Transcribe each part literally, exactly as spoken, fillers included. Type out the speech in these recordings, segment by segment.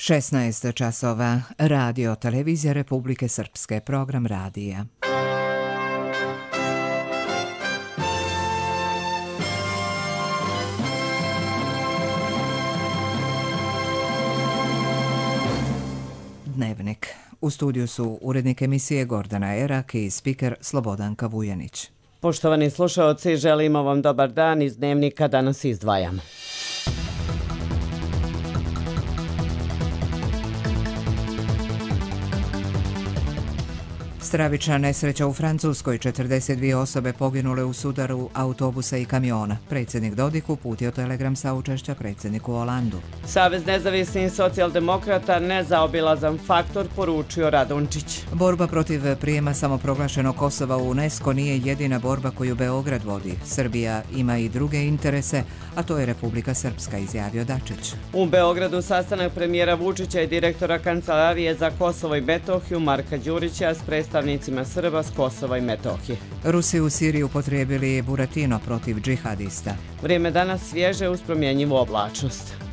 šesnaest časova. Radio Televizija Republike Srpske. Program radija. Dnevnik. U studiju su urednik emisije Gordana Erak i spiker Slobodanka Vujanić. Poštovani slušaoci, želimo vam dobar dan. Iz Dnevnika danas izdvajamo. Stravična nesreća u Francuskoj, četrdeset dvije osobe poginule u sudaru autobusa i kamiona. Predsjednik Dodik uputio telegram saučešća predsjedniku Holandu. Savez nezavisnih socijaldemokrata nezaobilazan faktor, poručio Radončić. Borba protiv prijema samoproglašenog Kosova u UNESCO nije jedina borba koju Beograd vodi. Srbija ima i druge interese, a to je Republika Srpska, izjavio Dačić. U Beogradu sastanak premijera Vučića i direktora Kancelarije za Kosovo i Metohiju Marka Đurića s predstavnicima Srba s Kosova i Metohije. Rusi u Siriji upotrijebili Buratino protiv džihadista. Vrijeme danas svježe uz promjenjivu oblačnost.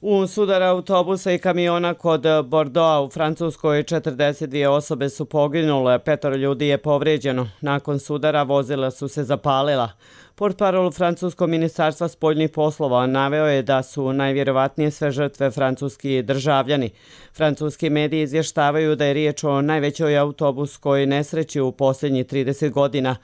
U sudar autobusa i kamiona kod Bordeauxa u Francuskoj četrdeset dvije osobe su poginule, petoro ljudi je povrijeđeno. Nakon sudara vozila su se zapalila. Portparol Francuskog ministarstva spoljnih poslova naveo je da su najvjerovatnije sve žrtve francuski državljani. Francuski mediji izvještavaju da je riječ o najvećoj autobuskoj nesreći u posljednjih trideset godina.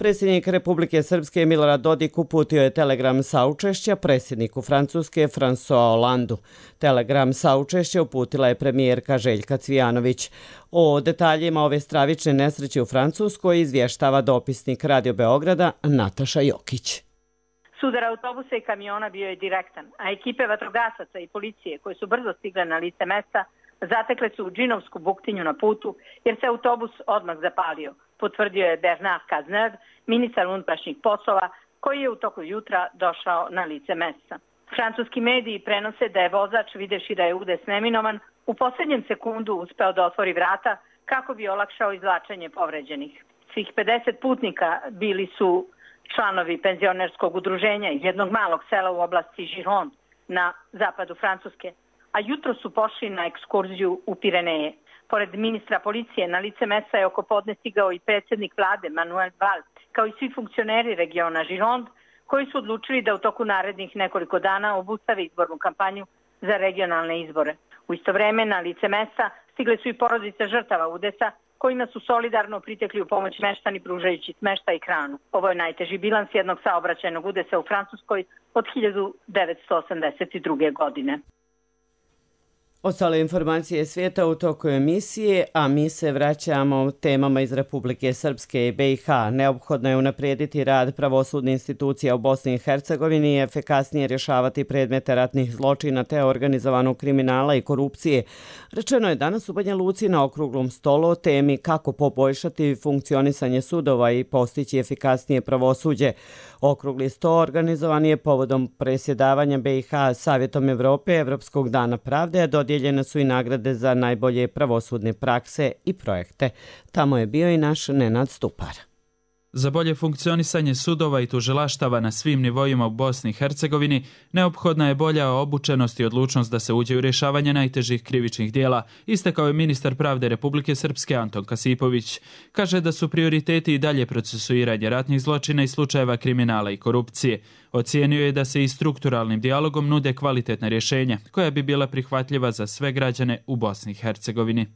Predsjednik Republike Srpske Milorad Dodik uputio je telegram saučešća predsjedniku Francuske François Hollandu. Telegram saučešća uputila je premijerka Željka Cvijanović. O detaljima ove stravične nesreće u Francuskoj izvještava dopisnik Radio Beograda Nataša Jokić. Sudar autobusa i kamiona bio je direktan, a ekipe vatrogasaca i policije koje su brzo stigle na lice mesta zatekle su džinovsku buktinju na putu jer se autobus odmah zapalio, potvrdio je Bernard Cazeneuve, ministar unutrašnjih poslova, koji je u toku jutra došao na lice mesta. Francuski mediji prenose da je vozač, videvši da je udes neminovan, u posljednjem sekundu uspeo da otvori vrata kako bi olakšao izvlačenje povređenih. Svih pedeset putnika bili su članovi penzionerskog udruženja iz jednog malog sela u oblasti Gironde na zapadu Francuske, a jutro su pošli na ekskurziju u Pireneje. Pored ministra policije na lice mesta je oko podne stigao i predsjednik vlade Manuel Valls, kao i svi funkcioneri regiona Gironde, koji su odlučili da u toku narednih nekoliko dana obustave izbornu kampanju za regionalne izbore. U isto vreme na lice mesta stigle su i porodice žrtava udesa, kojima su solidarno pritekli u pomoć meštani pružajući smeštaj i hranu. Ovo je najteži bilans jednog saobraćajnog udesa u Francuskoj od hiljadu devetsto osamdeset druge. godine. Ostale informacije svijeta u toku emisije, a mi se vraćamo temama iz Republike Srpske i B i H. Neophodno je unaprijediti rad pravosudnih institucija u Bosni i Hercegovini i efikasnije rješavati predmete ratnih zločina te organizovanog kriminala i korupcije. Rečeno je danas u Banja Luci na okruglom stolu o temi kako poboljšati funkcionisanje sudova i postići efikasnije pravosuđe. Okrugli sto organizovan je povodom presjedavanja B i H Savjetom Evrope Evropskog dana pravde, a dodijeljene su i nagrade za najbolje pravosudne prakse i projekte. Tamo je bio i naš Nenad Stupar. Za bolje funkcionisanje sudova i tužilaštava na svim nivoima u Bosni i Hercegovini neophodna je bolja obučenost i odlučnost da se uđe u rješavanje najtežih krivičnih dijela, istakao je ministar pravde Republike Srpske Anton Kasipović. Kaže da su prioriteti i dalje procesuiranje ratnih zločina i slučajeva kriminala i korupcije. Ocijenio je da se i strukturalnim dijalogom nude kvalitetna rješenja koja bi bila prihvatljiva za sve građane u Bosni i Hercegovini.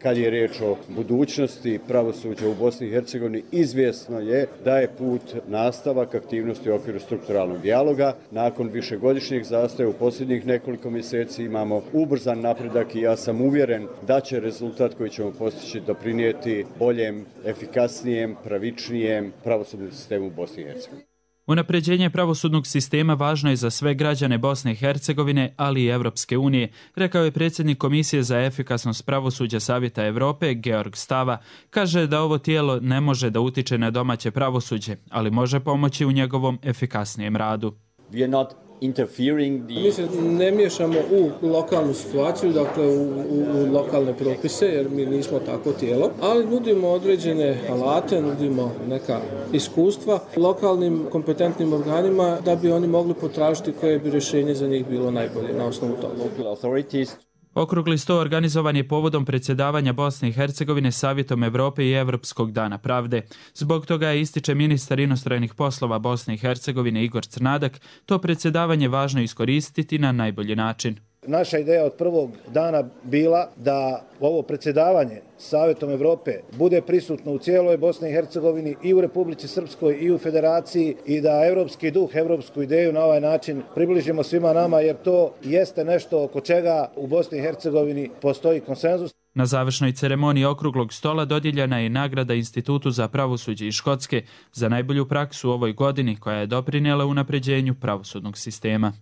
Kad je riječ o budućnosti pravosuđa u Bosni i Hercegovini, izvjesno je da je put nastavak aktivnosti u okviru strukturalnog dijaloga. Nakon višegodišnjeg zastoja u posljednjih nekoliko mjeseci imamo ubrzan napredak i ja sam uvjeren da će rezultat koji ćemo postići doprinijeti boljem, efikasnijem, pravičnijem pravosudnom sistemu u Bosni i Hercegovini. Unapređenje pravosudnog sistema važno je za sve građane Bosne i Hercegovine, ali i Evropske unije, rekao je predsjednik Komisije za efikasnost pravosuđa Savjeta Evrope, Georg Stava. Kaže da ovo tijelo ne može da utiče na domaće pravosuđe, ali može pomoći u njegovom efikasnijem radu. We are not interfering the... Mi se ne miješamo u lokalnu situaciju, dakle u, u, u lokalne propise, jer mi nismo tako tijelo, ali nudimo određene alate, nudimo neka iskustva lokalnim kompetentnim organima da bi oni mogli potražiti koje bi rješenje za njih bilo najbolje na osnovu toga. Local authorities. Okrugli sto organizovan je povodom predsjedavanja Bosne i Hercegovine Savjetom Evrope i Evropskog dana pravde. Zbog toga je, ističe ministar inostranih poslova Bosne i Hercegovine Igor Crnadak, to predsjedavanje važno iskoristiti na najbolji način. Naša ideja od prvog dana bila da ovo predsjedavanje Savjetom Evrope bude prisutno u cijeloj Bosni i Hercegovini i u Republici Srpskoj i u Federaciji i da evropski duh, evropsku ideju na ovaj način približimo svima nama, jer to jeste nešto oko čega u Bosni i Hercegovini postoji konsenzus. Na završnoj ceremoniji okruglog stola dodijeljena je nagrada Institutu za pravosuđe iz Škotske za najbolju praksu u ovoj godini, koja je doprinijela unapređenju pravosudnog sistema.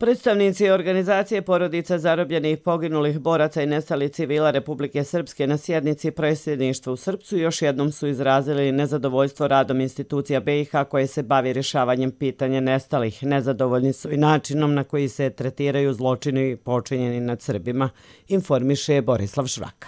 Predstavnici organizacije porodica zarobljenih, poginulih boraca i nestalih civila Republike Srpske na sjednici predsjedništva u Srpcu još jednom su izrazili nezadovoljstvo radom institucija B i H koje se bavi rješavanjem pitanja nestalih. Nezadovoljni su i načinom na koji se tretiraju zločini počinjeni nad Srbima, informiše Borislav Švaka.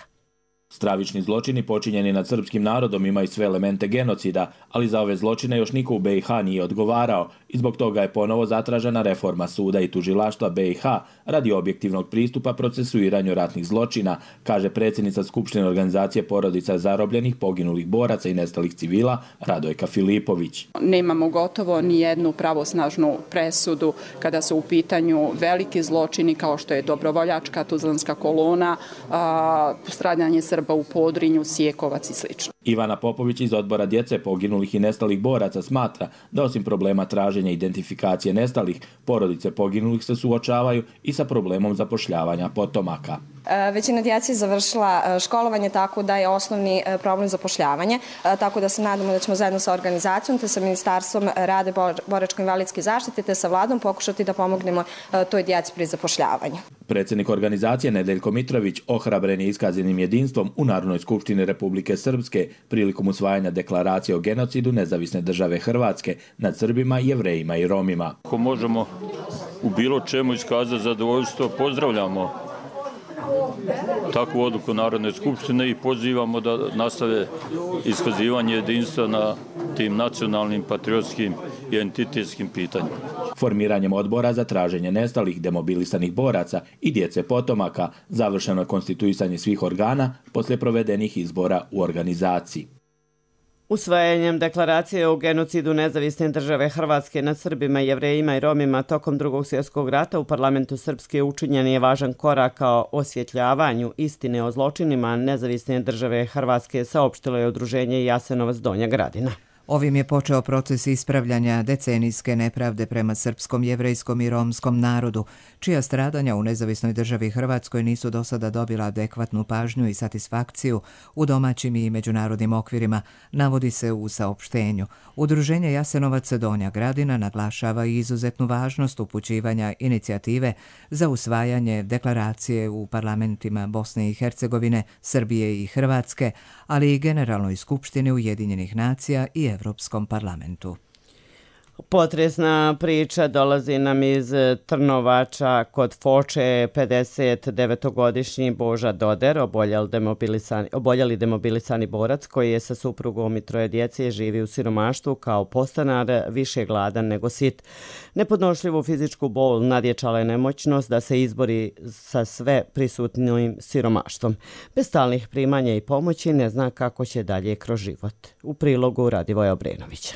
Stravični zločini počinjeni nad srpskim narodom imaju sve elemente genocida, ali za ove zločine još niko u B i H nije odgovarao i zbog toga je ponovo zatražena reforma suda i tužilaštva B i H radi objektivnog pristupa procesuiranju ratnih zločina, kaže predsjednica Skupštine organizacije porodica zarobljenih, poginulih boraca i nestalih civila Radojka Filipović. Nemamo gotovo ni jednu pravosnažnu presudu kada su u pitanju veliki zločini kao što je dobrovoljačka tuzlanska kolona, stradanje Srba u Podrinju, Sjekovac i sl. Ivana Popović iz odbora djece poginulih i nestalih boraca smatra da osim problema traženja identifikacije nestalih, porodice poginulih se suočavaju i sa problemom zapošljavanja potomaka. Većina djece je završila školovanje, tako da je osnovni problem zapošljavanje, tako da se nadamo da ćemo zajedno sa organizacijom te sa Ministarstvom rada, boračko-invalidske zaštite te sa vladom pokušati da pomognemo toj djeci pri zapošljavanju. Predsjednik organizacije Nedeljko Mitrović ohrabren je iskazanim jedinstvom u Narodnoj skupštini Republike Srpske prilikom usvajanja deklaracije o genocidu Nezavisne države Hrvatske nad Srbima, Jevrejima i Romima. Ako možemo u bilo čemu iskazati zadovoljstvo, pozdravljamo takvu odluku Narodne skupštine i pozivamo da nastave iskazivanje jedinstva na tim nacionalnim, patriotskim i entitetskim pitanjima. Formiranjem odbora za traženje nestalih, demobilisanih boraca i djece potomaka završeno je konstituisanje svih organa poslije provedenih izbora u organizaciji. Usvajanjem deklaracije o genocidu Nezavisne države Hrvatske nad Srbima, Jevrejima i Romima tokom Drugog svjetskog rata u parlamentu Srpske učinjen je važan korak ka osvjetljavanju istine o zločinima Nezavisne države Hrvatske, saopštilo je udruženje Jasenovac Donja Gradina. Ovim je počeo proces ispravljanja decenijske nepravde prema srpskom, jevrejskom i romskom narodu, čija stradanja u Nezavisnoj državi Hrvatskoj nisu do sada dobila adekvatnu pažnju i satisfakciju u domaćim i međunarodnim okvirima, navodi se u saopštenju. Udruženje Jasenovac Donja Gradina naglašava i izuzetnu važnost upućivanja inicijative za usvajanje deklaracije u parlamentima Bosne i Hercegovine, Srbije i Hrvatske, ali i Generalnoj skupštini Ujedinjenih nacija i Evropskom parlamentu. Potresna priča dolazi nam iz Trnovača. Kod Foče pedeset devetogodišnji Boža Doder, oboljeli demobilisani, oboljeli demobilisani borac koji je sa suprugom i troje djece živi u siromaštvu kao podstanar, više gladan nego sit. Nepodnošljivu fizičku bol nadječala je nemoćnost da se izbori sa sve prisutnim siromaštvom. Bez stalnih primanja i pomoći ne zna kako će dalje kroz život. U prilogu Radivoja Obrenovića.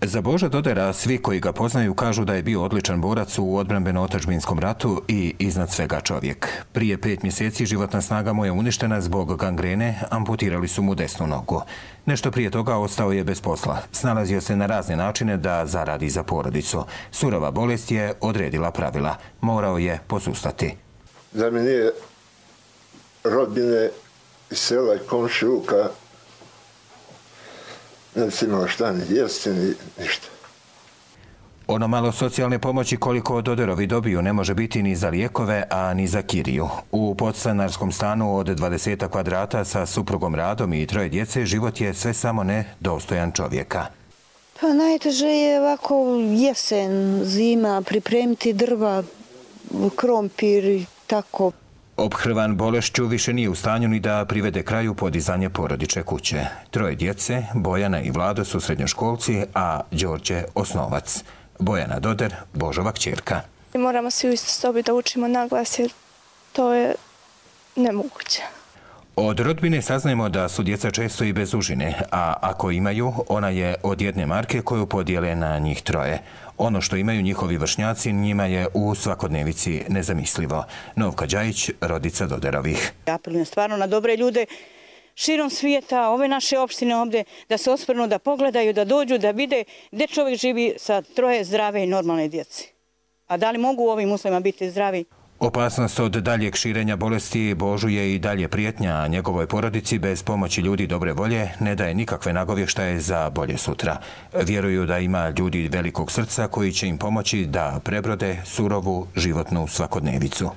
Za Boža Dodera svi koji ga poznaju kažu da je bio odličan borac u odbrambeno-otadžbinskom ratu i iznad svega čovjek. Prije pet mjeseci životna snaga mu je uništena zbog gangrene, amputirali su mu desnu nogu. Nešto prije toga ostao je bez posla. Snalazio se na razne načine da zaradi za porodicu. Surova bolest je odredila pravila. Morao je posustati. Za mene je rodbine iz sela i komšiluka. Ne si imao šta ni jesti, ni ništa. Ono malo socijalne pomoći koliko Doderovi dobiju ne može biti ni za lijekove, a ni za kiriju. U podstanarskom stanu od dvadeset kvadrata sa suprugom Radom i troje djece život je sve samo ne dostojan čovjeka. Pa najteže je ovako jesen, zima, pripremiti drva, krompir i tako. Ophrvan bolešću više nije u stanju ni da privede kraju podizanje porodične kuće. Troje djece, Bojana i Vlado su srednjoškolci, a Đorđe osnovac. Bojana Doder, Božova kćerka. Moramo svi u istoj sobi da učimo naglas jer to je nemoguće. Od rodbine saznajemo da su djeca često i bez užine, a ako imaju, ona je od jedne marke koju podijele na njih troje. Ono što imaju njihovi vršnjaci njima je u svakodnevici nezamislivo. Novka Đajić, rodica Doderovih. Apelujem stvarno na dobre ljude širom svijeta, ove naše opštine ovdje, da se osvrnu, da pogledaju, da dođu, da vide gdje čovjek živi sa troje zdrave i normalne djece. A da li mogu u ovim uslovima biti zdravi? Opasnost od daljeg širenja bolesti Božu je i dalje prijetnja, a njegovoj porodici bez pomoći ljudi dobre volje ne daje nikakve nagovještaje za bolje sutra. Vjeruju da ima ljudi velikog srca koji će im pomoći da prebrode surovu životnu svakodnevicu.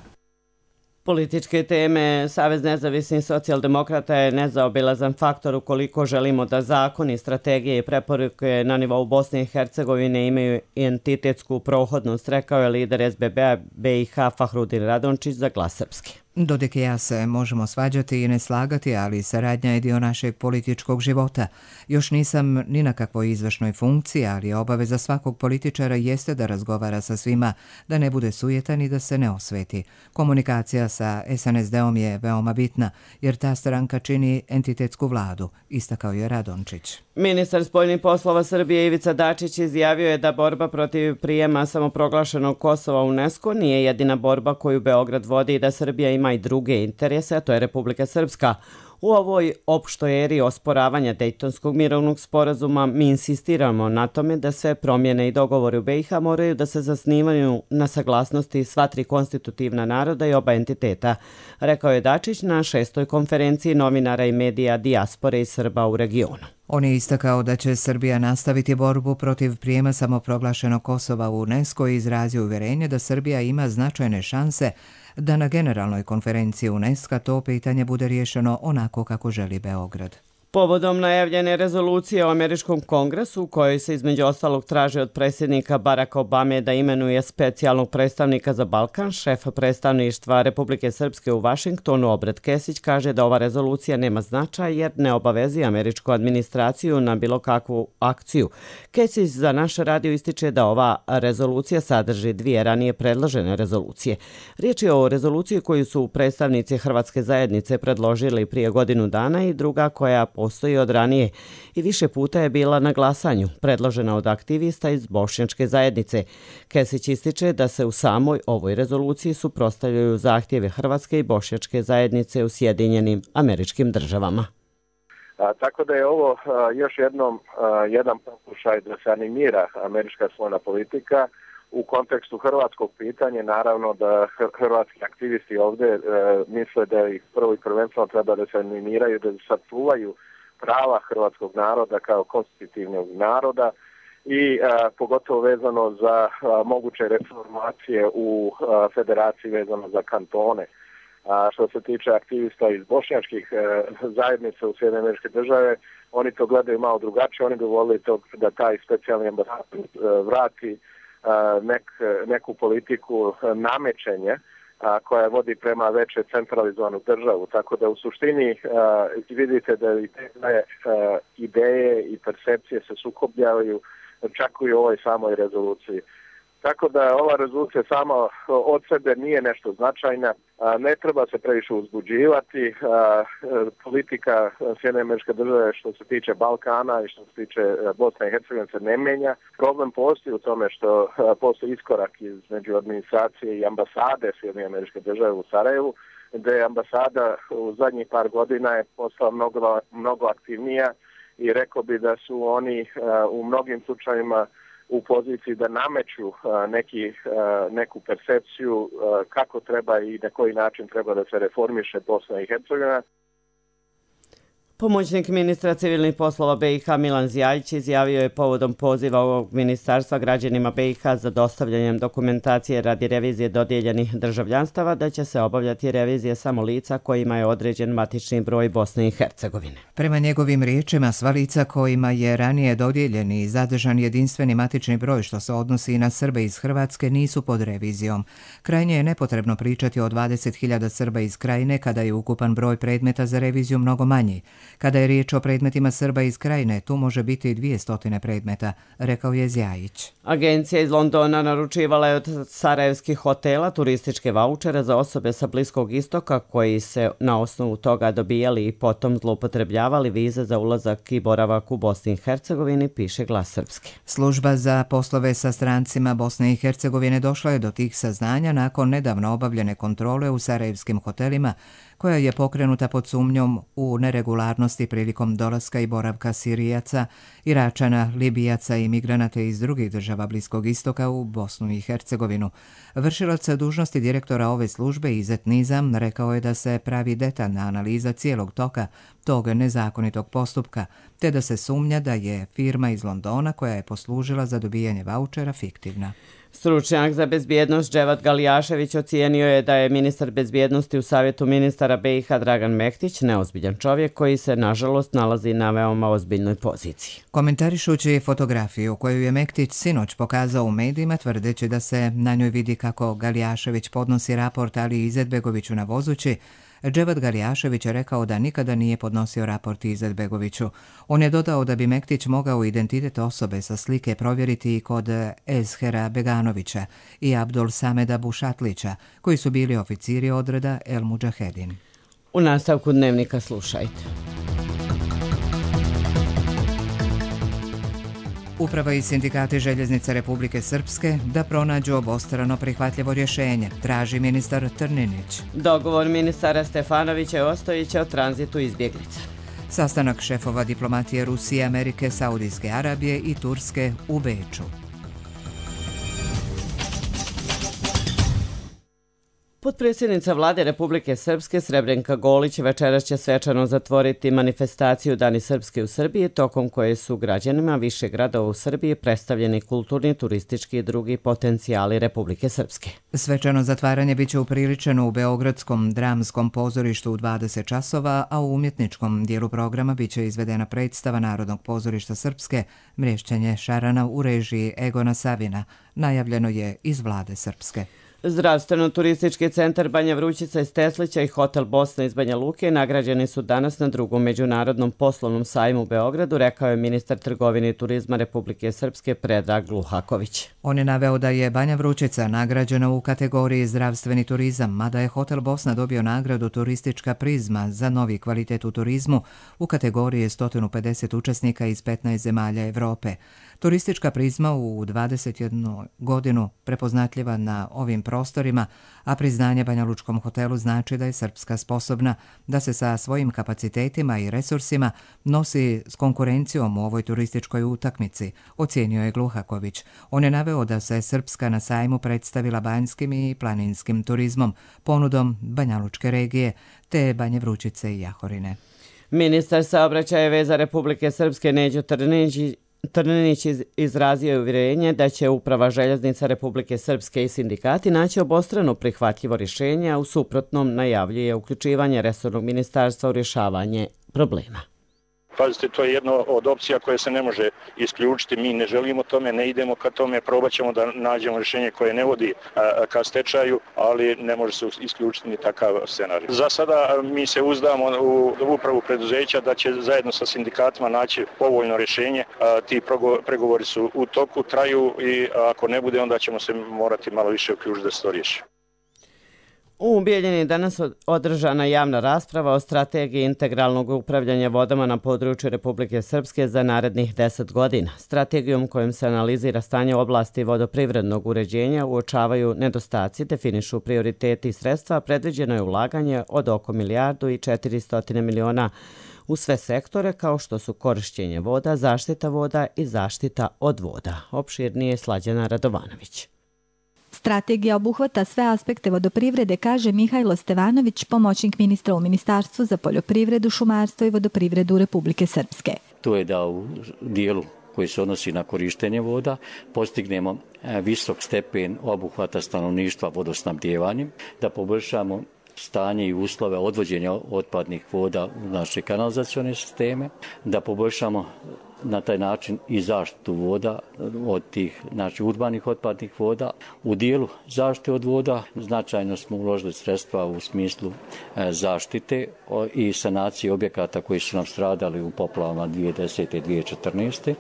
Političke teme. Savez nezavisnih socijaldemokrata je nezaobilazan faktor ukoliko želimo da zakoni, strategije i preporuke na nivou Bosne i Hercegovine imaju entitetsku prohodnost, rekao je lider S B B-a B i H Fahrudin Radončić za Glas Srpski. Dodik i ja se možemo svađati i ne slagati, ali saradnja je dio našeg političkog života. Još nisam ni na kakvoj izvršnoj funkciji, ali obaveza svakog političara jeste da razgovara sa svima, da ne bude sujetan i da se ne osveti. Komunikacija sa S N S D-om je veoma bitna, jer ta stranka čini entitetsku vladu, istakao je Radončić. Ministar spoljnih poslova Srbije Ivica Dačić izjavio je da borba protiv prijema samoproglašenog Kosova u UNESCO nije jedina borba koju Beograd vodi i da Srbija ima i druge interese, a to je Republika Srpska. U ovoj opštoj eri osporavanja Dejtonskog mirovnog sporazuma mi insistiramo na tome da sve promjene i dogovori u B i H moraju da se zasnivaju na saglasnosti sva tri konstitutivna naroda i oba entiteta, rekao je Dačić na šestoj konferenciji novinara i medija dijaspore i Srba u regionu. On je istakao da će Srbija nastaviti borbu protiv prijema samoproglašenog Kosova u UNESCO i izrazio uvjerenje da Srbija ima značajne šanse da na generalnoj konferenciji UNESCO to pitanje bude riješeno onako kako želi Beograd. Povodom najavljene rezolucije o američkom kongresu, u kojoj se između ostalog traži od predsjednika Baracka Obame da imenuje specijalnog predstavnika za Balkan, šef predstavništva Republike Srpske u Vašingtonu Obred Kesić kaže da ova rezolucija nema značaj jer ne obavezi američku administraciju na bilo kakvu akciju. Kesić za naš radio ističe da ova rezolucija sadrži dvije ranije predložene rezolucije. Riječ je o rezoluciji koju su predstavnici Hrvatske zajednice predložili prije godinu dana i druga koja postoji od ranije i više puta je bila na glasanju, predložena od aktivista iz Bošnjačke zajednice. Kesić ističe da se u samoj ovoj rezoluciji suprotstavljaju zahtjeve Hrvatske i Bošnjačke zajednice u Sjedinjenim Američkim Državama. A, tako da je ovo a, još jednom a, jedan pokušaj da se animira američka spoljna politika u kontekstu hrvatskog pitanja. Naravno da hrvatski aktivisti ovdje e, misle da ih prvo i prvenstveno treba da se animiraju, da sačuvaju prava hrvatskog naroda kao konstitutivnog naroda i a, pogotovo vezano za a, moguće reformacije u a, federaciji vezano za kantone. A što se tiče aktivista iz bošnjačkih e, zajednica u Sjedinjene Američke Države, oni to gledaju malo drugačije, oni bi volili to da taj specijalni ambasador e, vrati a, nek, neku politiku namećenja a, koja vodi prema veće centralizovanu državu. Tako da u suštini a, vidite da i te a, ideje i percepcije se sukobljavaju čak i u ovoj samoj rezoluciji. Tako da ova rezolucija sama od sebe nije nešto značajna, ne treba se previše uzbuđivati. Politika Sjedinjene Američke Države što se tiče Balkana i što se tiče Bosne i Hercegovine se ne mijenja. Problem postoji u tome što postoji iskorak između administracije i ambasade Sjedinjene Američke Države u Sarajevu, gdje je ambasada u zadnjih par godina je postala mnogo, mnogo aktivnija i rekao bi da su oni u mnogim slučajima u poziciji da nameću neki, neku percepciju kako treba i na koji način treba da se reformiše Bosna i Hercegovina. Pomoćnik ministra civilnih poslova B i H Milan Zjajić izjavio je povodom poziva ovog ministarstva građanima B i H za dostavljanjem dokumentacije radi revizije dodijeljenih državljanstava da će se obavljati revizije samo lica kojima je određen matični broj Bosne i Hercegovine. Prema njegovim riječima, sva lica kojima je ranije dodijeljen i zadržan jedinstveni matični broj što se odnosi i na Srbe iz Hrvatske nisu pod revizijom. Krajnje je nepotrebno pričati o dvadeset hiljada Srba iz Krajine kada je ukupan broj predmeta za reviziju mnogo manji. Kada je riječ o predmetima Srba iz Krajine, tu može biti i dvije stotine predmeta, rekao je Zjajić. Agencija iz Londona naručivala je od sarajevskih hotela turističke vaučere za osobe sa Bliskog istoka koji se na osnovu toga dobijali i potom zloupotrebljavali vize za ulazak i boravak u Bosni i Hercegovini, piše Glas Srpske. Služba za poslove sa strancima Bosne i Hercegovine došla je do tih saznanja nakon nedavno obavljene kontrole u sarajevskim hotelima koja je pokrenuta pod sumnjom u neregularnosti prilikom dolaska i boravka Sirijaca, Iračana, Libijaca i migranata iz drugih država Bliskog istoka u Bosnu i Hercegovinu. Vršilac dužnosti direktora ove službe Izet Nizam rekao je da se pravi detaljna analiza cijelog toka tog nezakonitog postupka, te da se sumnja da je firma iz Londona koja je poslužila za dobijanje vaučera fiktivna. Stručnjak za bezbjednost Dževat Galijašević ocijenio je da je ministar bezbjednosti u savjetu ministara B i H Dragan Mektić neozbiljan čovjek koji se nažalost nalazi na veoma ozbiljnoj poziciji. Komentarišući fotografiju koju je Mektić sinoć pokazao u medijima tvrdeći da se na njoj vidi kako Galijašević podnosi raport Ali Izetbegoviću na vozući, Dževat Galijašević je rekao da nikada nije podnosio raport Izetbegoviću. On je dodao da bi Mektić mogao identitet osobe sa slike provjeriti i kod Ezhera Beganovića i Abdul Sameda Bušatlića, koji su bili oficiri odreda El Mudžahedin. U nastavku dnevnika slušajte. Uprava i sindikati Željeznice Republike Srpske da pronađu obostrano prihvatljivo rješenje, traži ministar Trninić. Dogovor ministara Stefanovića i Ostojića o tranzitu izbjeglica. Sastanak šefova diplomatije Rusije, Amerike, Saudijske Arabije i Turske u Beču. Potpredsjednica vlade Republike Srpske Srebrenka Golić večeras će svečano zatvoriti manifestaciju Dani Srpske u Srbiji, tokom koje su građanima više gradova u Srbiji predstavljeni kulturni, turistički i drugi potencijali Republike Srpske. Svečano zatvaranje biće upriličeno u Beogradskom dramskom pozorištu u dvadeset časova, a u umjetničkom dijelu programa biće izvedena predstava Narodnog pozorišta Srpske Mrješćenje šarana u režiji Egona Savina, najavljeno je iz vlade Srpske. Zdravstveno-turistički centar Banja Vrućica iz Teslića i Hotel Bosna iz Banja Luke nagrađeni su danas na drugom međunarodnom poslovnom sajmu u Beogradu, rekao je ministar trgovine i turizma Republike Srpske Predrag Gluhaković. On je naveo da je Banja Vrućica nagrađena u kategoriji zdravstveni turizam, mada je Hotel Bosna dobio nagradu Turistička prizma za novi kvalitet u turizmu u kategoriji sto pedeset učesnika iz petnaest zemalja Evrope. Turistička prizma u dvadeset jednu godinu prepoznatljiva na ovim prostorima, a priznanje Banja Lučkom hotelu znači da je Srpska sposobna da se sa svojim kapacitetima i resursima nosi s konkurencijom u ovoj turističkoj utakmici, ocijenio je Gluhaković. On je naveo da se Srpska na sajmu predstavila banjskim i planinskim turizmom, ponudom Banja Lučke regije, te Banje Vrućice i Jahorine. Ministar saobraćaja i veza Republike Srpske Neđo Trninić Trninić izrazio je uvjerenje da će Uprava željeznica Republike Srpske i sindikati naći obostrano prihvatljivo rješenje, a u suprotnom najavljuje uključivanje resornog ministarstva u rješavanje problema. Pazite, to je jedna od opcija koje se ne može isključiti. Mi ne želimo tome, ne idemo ka tome, probat ćemo da nađemo rješenje koje ne vodi a, ka stečaju, ali ne može se isključiti ni takav scenarij. Za sada mi se uzdamo u upravu preduzeća da će zajedno sa sindikatima naći povoljno rješenje. A, ti pregovori su u toku, traju i ako ne bude, onda ćemo se morati malo više uključiti da se to riješi. U Bijeljini je danas održana javna rasprava o strategiji integralnog upravljanja vodama na području Republike Srpske za narednih deset godina. Strategijom kojom se analizira stanje oblasti vodoprivrednog uređenja uočavaju nedostaci, definišu prioriteti i sredstva, predviđeno je ulaganje od oko milijardu i četiristo miliona u sve sektore kao što su korišćenje voda, zaštita voda i zaštita od voda. Opširnije Slađana Radovanović. Strategija obuhvata sve aspekte vodoprivrede, kaže Mihajlo Stevanović, pomoćnik ministra u Ministarstvu za poljoprivredu, šumarstvo i vodoprivredu Republike Srpske. To je da u dijelu koji se odnosi na korištenje voda postignemo visok stepen obuhvata stanovništva vodosnabdjevanjem, da poboljšamo stanje i uslove odvođenja otpadnih voda u naše kanalizacione sisteme, da poboljšamo na taj način i zaštitu voda od tih znači, urbanih otpadnih voda. U dijelu zaštite od voda značajno smo uložili sredstva u smislu zaštite i sanacije objekata koji su nam stradali u poplavama dvije tisuće desete i dvije tisuće četrnaeste.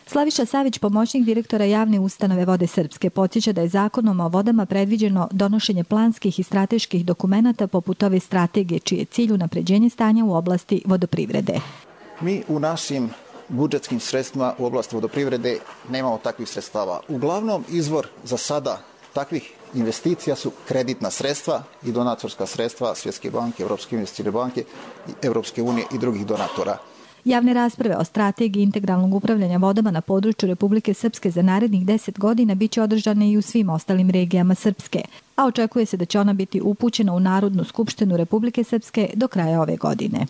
Slaviša Savić, pomoćnik direktora javne ustanove Vode Srpske, podsjeća da je zakonom o vodama predviđeno donošenje planskih i strateških dokumenata poput ove strategije, čiji je cilj unapređenje stanja u oblasti vodoprivrede. Mi u našim budžetskim sredstvima u oblasti vodoprivrede nemamo takvih sredstava. Uglavnom izvor za sada takvih investicija su kreditna sredstva i donatorska sredstva Svjetske banke, Europske investicijske banke, Europske unije i drugih donatora. Javne rasprave o strategiji integralnog upravljanja vodama na području Republike Srpske za narednih deset godina biće održane i u svim ostalim regijama Srpske, a očekuje se da će ona biti upućena u Narodnu skupštinu Republike Srpske do kraja ove godine.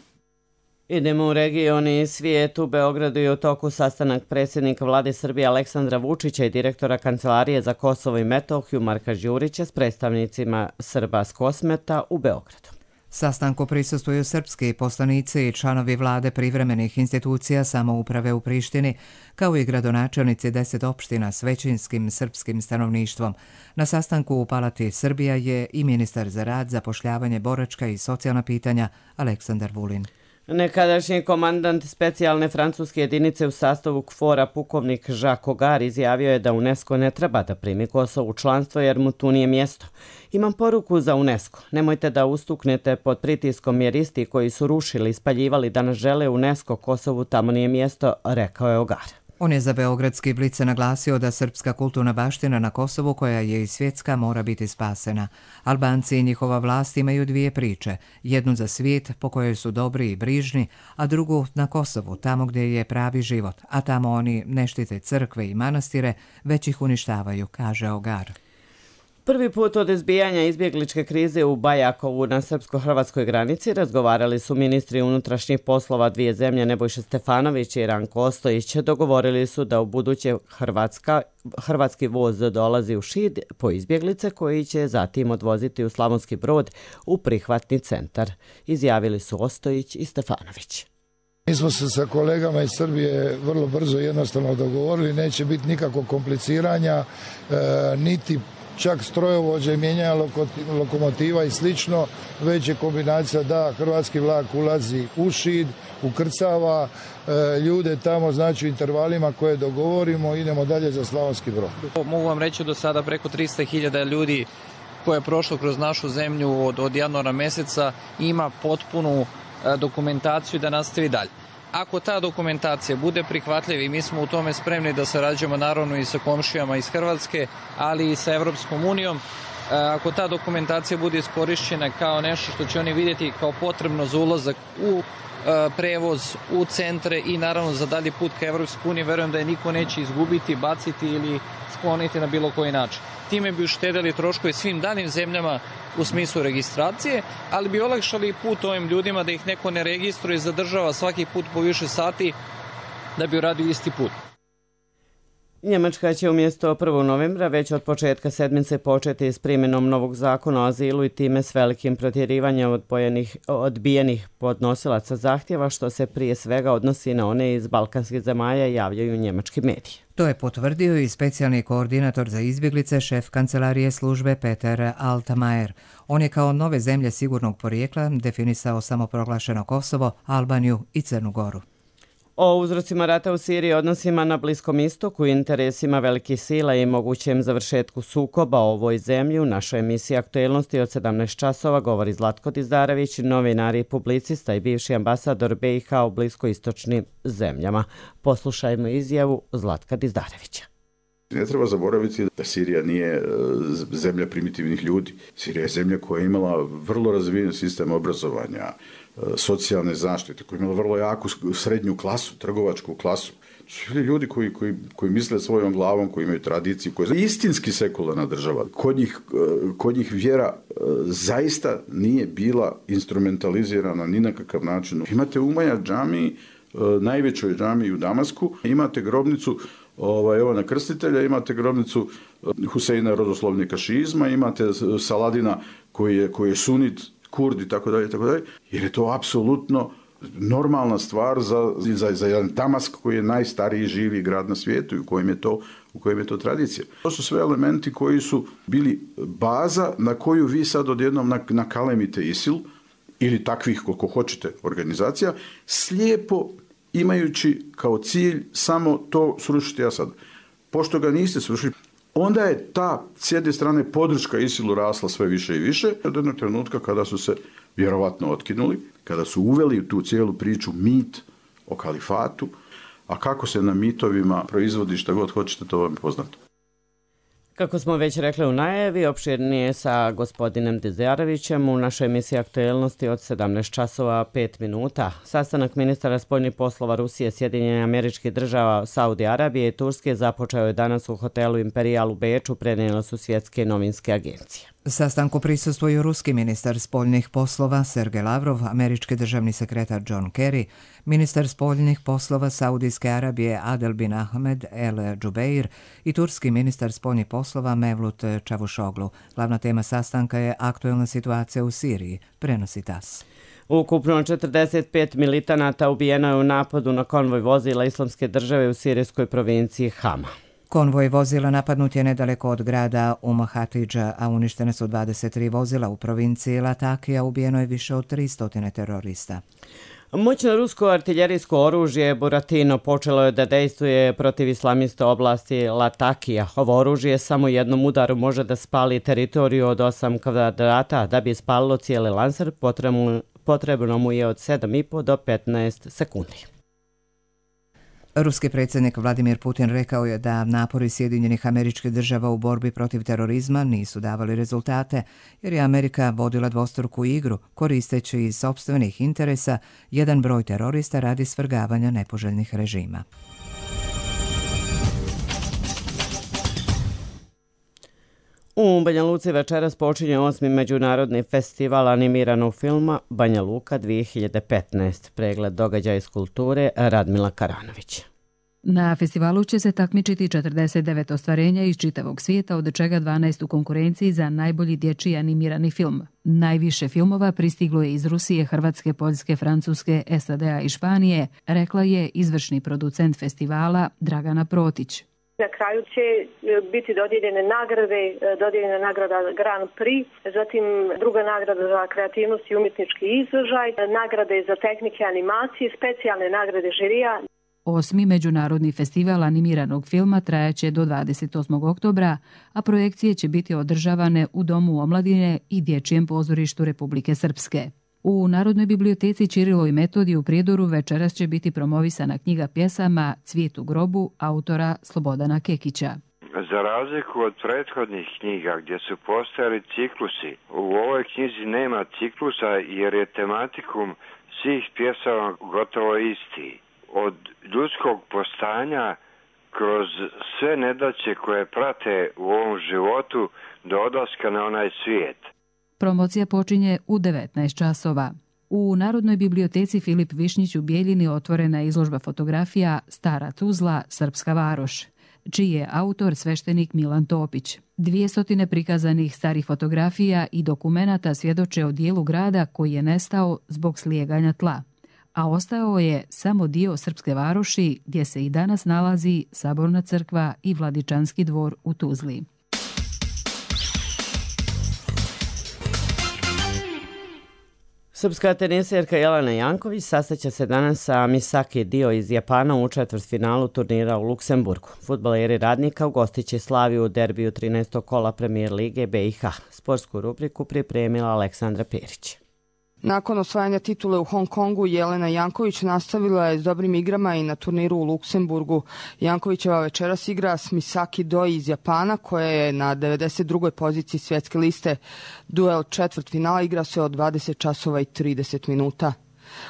Idemo u region i svijet. U Beogradu je u toku sastanak predsjednika vlade Srbije Aleksandra Vučića i direktora Kancelarije za Kosovo i Metohiju Marka Đurića s predstavnicima Srba s Kosmeta u Beogradu. Sastanku prisustvuju srpski poslanici i članovi vlade privremenih institucija samouprave u Prištini, kao i gradonačelnici deset opština s većinskim srpskim stanovništvom. Na sastanku u Palati Srbija je i ministar za rad, zapošljavanje, boračka i socijalna pitanja Aleksandar Vulin. Nekadašnji komandant specijalne francuske jedinice u sastavu KFOR-a pukovnik Jacques Ogar izjavio je da UNESCO ne treba da primi Kosovo u članstvo jer mu tu nije mjesto. Imam poruku za UNESCO. Nemojte da ustuknete pod pritiskom jer isti koji su rušili i spaljivali da nas žele UNESCO, Kosovu tamo nije mjesto, rekao je Ogar. On je za beogradski Blic naglasio da srpska kulturna baština na Kosovu, koja je i svjetska, mora biti spasena. Albanci i njihova vlast imaju dvije priče. Jednu za svijet, po kojoj su dobri i brižni, a drugu na Kosovu, tamo gdje je pravi život. A tamo oni ne štite crkve i manastire, već ih uništavaju, kaže Ogar. Prvi put od izbijanja izbjegličke krize u Bajakovu na srpsko-hrvatskoj granici razgovarali su ministri unutrašnjih poslova dvije zemlje Nebojša Stefanović i Ranko Ostojić. Dogovorili su da u buduće Hrvatska, hrvatski voz dolazi u Šid po izbjeglice koji će zatim odvoziti u Slavonski Brod u prihvatni centar. Izjavili su Ostojić i Stefanović. Mi smo se sa kolegama iz Srbije vrlo brzo i jednostavno dogovorili, neće biti nikakvog kompliciranja, e, niti čak strojovođe, mijenjanja lokomotiva i slično, već je kombinacija da hrvatski vlak ulazi u Šid, ukrcava e, ljude tamo, znači u intervalima koje dogovorimo, idemo dalje za Slavonski Brod. Mogu vam reći do sada preko tristo hiljada ljudi koje je prošlo kroz našu zemlju od, od januara meseca ima potpunu e, dokumentaciju da nastavi dalje. Ako ta dokumentacija bude prihvatljiva i mi smo u tome spremni da sarađujemo naravno i sa komšijama iz Hrvatske, ali i sa Evropskom unijom, ako ta dokumentacija bude iskorišćena kao nešto što će oni vidjeti kao potrebno za ulazak u prevoz, u centre i naravno za dalji put ka Evropskoj uniji, verujem da je niko neće izgubiti, baciti ili skloniti na bilo koji način. Time bi uštedeli troškove svim daljim zemljama u smislu registracije, ali bi olakšali put ovim ljudima da ih neko ne registruje i zadržava svaki put po više sati da bi uradio isti put. Njemačka će umjesto prvog novembra već od početka sedmice početi s primjenom novog zakona o azilu i time s velikim protjerivanjem odbojenih, odbijenih podnosilaca zahtjeva, što se prije svega odnosi na one iz balkanskih zemalja, javljaju njemački mediji. To je potvrdio i specijalni koordinator za izbjeglice, šef kancelarije službe Peter Altmaier. On je kao nove zemlje sigurnog porijekla definisao samoproglašeno Kosovo, Albaniju i Crnu Goru. O uzrocima rata u Siriji, odnosima na Bliskom istoku, interesima velikih sila i mogućem završetku sukoba o ovoj zemlji u našoj emisiji Aktuelnosti od sedamnaest časova govori Zlatko Dizdarević, novinar i publicista i bivši ambasador B i H u bliskoistočnim zemljama. Poslušajmo izjavu Zlatka Dizdarevića. Ne treba zaboraviti da Sirija nije zemlja primitivnih ljudi. Sirija je zemlja koja je imala vrlo razvijen sistem obrazovanja, socijalne zaštite, koja je imala vrlo jaku srednju klasu, trgovačku klasu. su ljudi koji, koji, koji misle svojom glavom, koji imaju tradiciju, koji je istinski sekularna država. Kod njih, kod njih vjera zaista nije bila instrumentalizirana ni na kakav način. Imate u Umaja džamiji, najvećoj džamiji u Damasku, imate grobnicu ovaj, Jovana Krstitelja, imate grobnicu Huseina rodoslovnika šizma, imate Saladina koji je, koji je sunit, kurd i tako dalje, tako dalje, jer je to apsolutno normalna stvar za, za, za jedan Damask koji je najstariji živi grad na svijetu i u kojem je to, u kojem je to tradicija. To su sve elementi koji su bili baza na koju vi sad odjednom nakalemite ISIL ili takvih, koliko hoćete, organizacija, slijepo imajući kao cilj samo to srušiti Asad. Pošto ga niste srušili, onda je ta, s jedne strane, podrška ISIL-u rasla sve više i više, od jednog trenutka kada su se vjerovatno otkinuli, kada su uveli u tu cijelu priču mit o kalifatu, a kako se na mitovima proizvodi šta god hoćete, to vam je poznato. Kako smo već rekli u najavi, opširnije sa gospodinem Dizarevićem u našoj emisiji Aktuelnosti od sedamnaest časova pet minuta. Sastanak ministara spoljnih poslova Rusije, Sjedinjenih Američkih Država, Saudi Arabije i Turske započeo je danas u hotelu Imperial u Beču, prenijele su svjetske novinske agencije. Sastanku prisustvuju ruski ministar spoljnih poslova Sergej Lavrov, američki državni sekretar John Kerry, ministar spoljnih poslova Saudijske Arabije Adel bin Ahmed El Džubeir i turski ministar spoljnih poslova Mevlut Čavušoglu. Glavna tema sastanka je aktuelna situacija u Siriji, prenosi TAS. Ukupno četrdeset pet militanata ubijeno je u napadu na konvoj vozila Islamske države u sirijskoj provinciji Hama. Konvoj vozila napadnut je nedaleko od grada Umm Hatidža, a uništene su dvadeset tri vozila u provinciji Latakija, ubijeno je više od tristo terorista. Moćno rusko artiljerijsko oružje Buratino počelo je da dejstvuje protiv islamiste oblasti Latakija. Ovo oružje samo jednom udaru može da spali teritoriju od osam kvadrata. Da bi spalilo cijeli lancer, potrebno, potrebno mu je od sedam i po do petnaest sekundi. Ruski predsjednik Vladimir Putin rekao je da napori Sjedinjenih Američkih Država u borbi protiv terorizma nisu davali rezultate, jer je Amerika vodila dvostruku igru, koristeći iz sopstvenih interesa jedan broj terorista radi svrgavanja nepoželjnih režima. U Banja Luci večeras počinje osmi međunarodni festival animiranog filma Banja Luka dvije hiljade petnaest. Pregled događaja iz kulture Radmila Karanović. Na festivalu će se takmičiti četrdeset devet ostvarenja iz čitavog svijeta, od čega dvanaest u konkurenciji za najbolji dječji animirani film. Najviše filmova pristiglo je iz Rusije, Hrvatske, Poljske, Francuske, S A D-a i Španije, rekla je izvršni producent festivala Dragana Protić. Na kraju će biti dodijeljene nagrade, dodijeljena nagrada Grand Prix, zatim druga nagrada za kreativnost i umjetnički izražaj, nagrade za tehnike animacije, specijalne nagrade žirija. Osmi međunarodni festival animiranog filma trajaće do dvadeset osmog oktobra, a projekcije će biti održavane u Domu omladine i Dječjem pozorištu Republike Srpske. U Narodnoj biblioteci Ćirilo i Metodij u Prijedoru večeras će biti promovisana knjiga pjesama Cvijet u grobu autora Slobodana Kekića. Za razliku od prethodnih knjiga gdje su postojali ciklusi, u ovoj knjizi nema ciklusa jer je tematikum svih pjesama gotovo isti. Od ljudskog postanja kroz sve nedaće koje prate u ovom životu do odlaska na onaj svijet. Promocija počinje u devetnaest časova. U Narodnoj biblioteci Filip Višnjić u Bijeljini otvorena je izložba fotografija Stara Tuzla, Srpska varoš, čiji je autor sveštenik Milan Topić. Dvije stotine prikazanih starih fotografija i dokumenata svjedoče o dijelu grada koji je nestao zbog slijeganja tla, a ostao je samo dio Srpske varoši gdje se i danas nalazi Saborna crkva i Vladičanski dvor u Tuzli. Srpska teniserka Jelena Janković sastaće se danas sa Misaki Dio iz Japana u četvrtfinalu turnira u Luksemburgu. Fudbaleri Radnika ugostit će Slaviju u derbiju trinaestog kola Premier lige B i H. Sportsku rubriku pripremila Aleksandra Perić. Nakon osvajanja titule u Hong Kongu, Jelena Janković nastavila je s dobrim igrama i na turniru u Luksemburgu. Jankovićeva večeras igra s Misaki Doi iz Japana, koja je na devedeset drugoj poziciji svjetske liste. Duel četvrtfinala igra se od dvadeset časova i trideset minuta.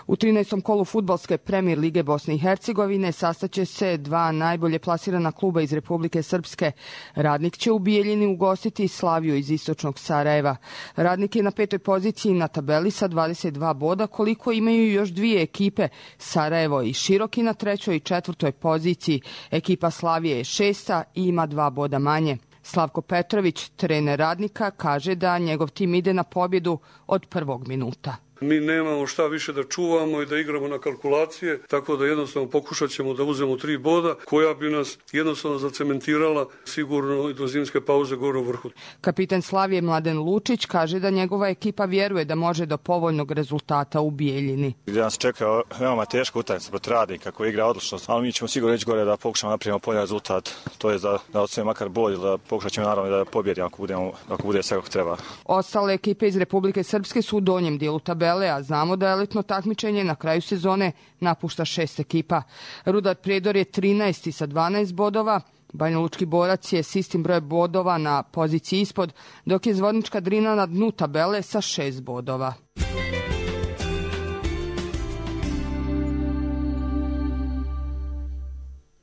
U trinaestom kolu fudbalske Premier lige Bosne i Hercegovine sastaće se dva najbolje plasirana kluba iz Republike Srpske. Radnik će u Bijeljini ugostiti Slaviju iz istočnog Sarajeva. Radnik je na petoj poziciji na tabeli sa dvadeset dva boda, koliko imaju još dvije ekipe, Sarajevo i Široki na trećoj i četvrtoj poziciji. Ekipa Slavije je šesta i ima dva boda manje. Slavko Petrović, trener Radnika, kaže da njegov tim ide na pobjedu od prvog minuta. Mi nemamo šta više da čuvamo i da igramo na kalkulacije, tako da jednostavno pokušat ćemo da uzmemo tri boda koja bi nas jednostavno zacementirala sigurno i do zimske pauze gore u vrhu. Kapitan Slavije Mladen Lučić kaže da njegova ekipa vjeruje da može do povoljnog rezultata u Bijeljini. Gdje nas čeka veoma teška utakmica protiv Radnika koji igra odlično, ali mi ćemo sigurno ići gore da pokušamo napravimo polje rezultat. To je da, da odsvojimo makar bolje, da pokušat ćemo naravno da pobjedimo ako, budemo, ako bude sve kako treba. Ostale ekipe iz Republike Srpske su u donjem dijelu tabele, a znamo da elitno takmičenje na kraju sezone napušta šest ekipa. Rudar Prijedor je trinaesti sa dvanaest bodova, Banjalučki Borac je s istim brojem bodova na poziciji ispod, dok je Zvornička Drina na dnu tabele sa šest bodova.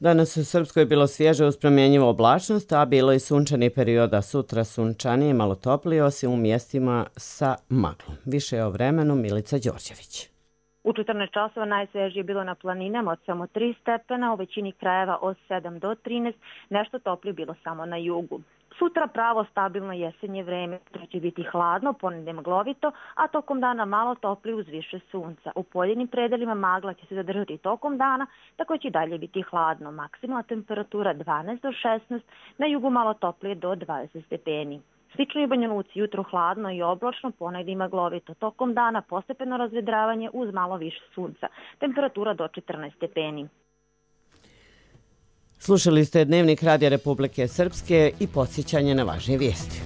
Danas u Srpskoj je bilo svježe uz promjenjivu oblačnost, a bilo i sunčani perioda. Sutra sunčanije, malo toplije, osim u mjestima sa maglom. Više o vremenu Milica Đorđević. U četrnaest časova najsvježije bilo na planinama od samo tri stepena, u većini krajeva od sedam do trinaest, nešto toplije bilo samo na jugu. Sutra pravo stabilno jesenje vreme, to će biti hladno, ponedjeljak maglovito, a tokom dana malo toplije uz više sunca. U pojedinim predelima magla će se zadržati tokom dana, tako će i dalje biti hladno. Maksimalna temperatura dvanaest do šesnaest, na jugu malo toplije do dvadeset stepeni. Slično i u Banja Luci, jutro hladno i oblačno, ponedjeljak maglovito. Tokom dana postepeno razvedravanje uz malo više sunca. Temperatura do četrnaest stepeni. Slušali ste Dnevnik Radija Republike Srpske i podsjećanje na važnije vijesti.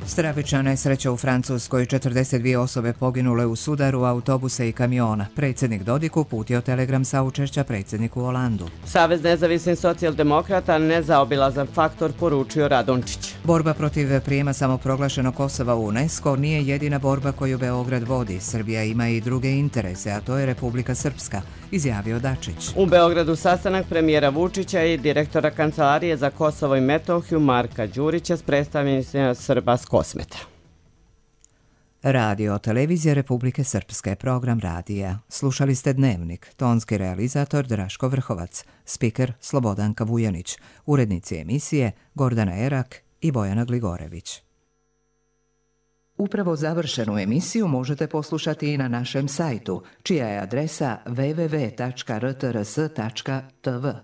Stravična nesreća u Francuskoj, četrdeset dvije osobe poginule u sudaru autobusa i kamiona. Predsjednik Dodik uputio telegram saučešća predsjedniku Holandu. Savez nezavisnih socijaldemokrata nezaobilazan faktor, poručio Radončić. Borba protiv prijema samoproglašenog Kosova u UNESCO nije jedina borba koju Beograd vodi. Srbija ima i druge interese, a to je Republika Srpska, izjavio Dačić. U Beogradu sastanak premijera Vučića i direktora Kancelarije za Kosovo i Metohiju Marka Đurića s predstavnicima Srba s Kosmeta. Radio televizija Republike Srpske, program radija. Slušali ste Dnevnik, tonski realizator Draško Vrhovac, spiker Slobodanka Vujanić, urednici emisije Gordana Erak i Bojana Gligorević. Upravo završenu emisiju možete poslušati i na našem sajtu, čija je adresa w w w tačka r t r s tačka t v.